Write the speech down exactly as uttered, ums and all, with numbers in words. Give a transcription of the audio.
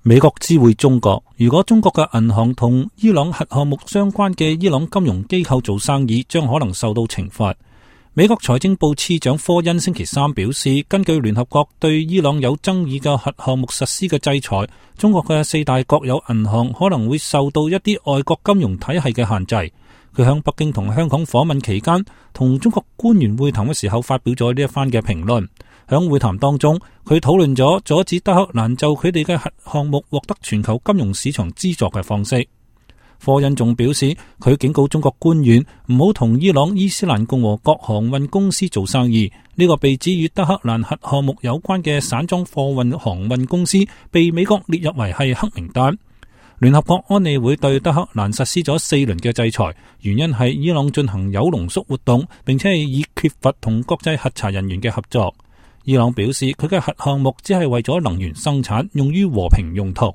美國知會中國，如果中國嘅銀行同伊朗核項目相關嘅伊朗金融機構做生意，將可能受到懲罰。美國財政部次長科恩星期三表示，根據聯合國對伊朗有爭議嘅核項目實施嘅制裁，中國嘅四大國有銀行可能會受到一啲外國金融體系嘅限制。佢響北京同香港訪問期間，同中國官員會談嘅時候發表咗呢一番嘅評論。響會談當中，佢討論咗阻止德黑蘭就佢哋嘅核項目獲得全球金融市場資助嘅方式。科恩仲表示，佢警告中國官員唔好同伊朗伊斯蘭共和國航運公司做生意。呢、這個被指與德黑蘭核項目有關嘅散裝貨運航運公司被美國列入為係黑名單。聯合國安理會對德黑蘭實施咗四輪嘅制裁，原因係伊朗進行鈾濃縮活動，並且係以缺乏同國際核查人員嘅合作。伊朗表示，佢嘅核項目只係為咗能源生產，用於和平用途。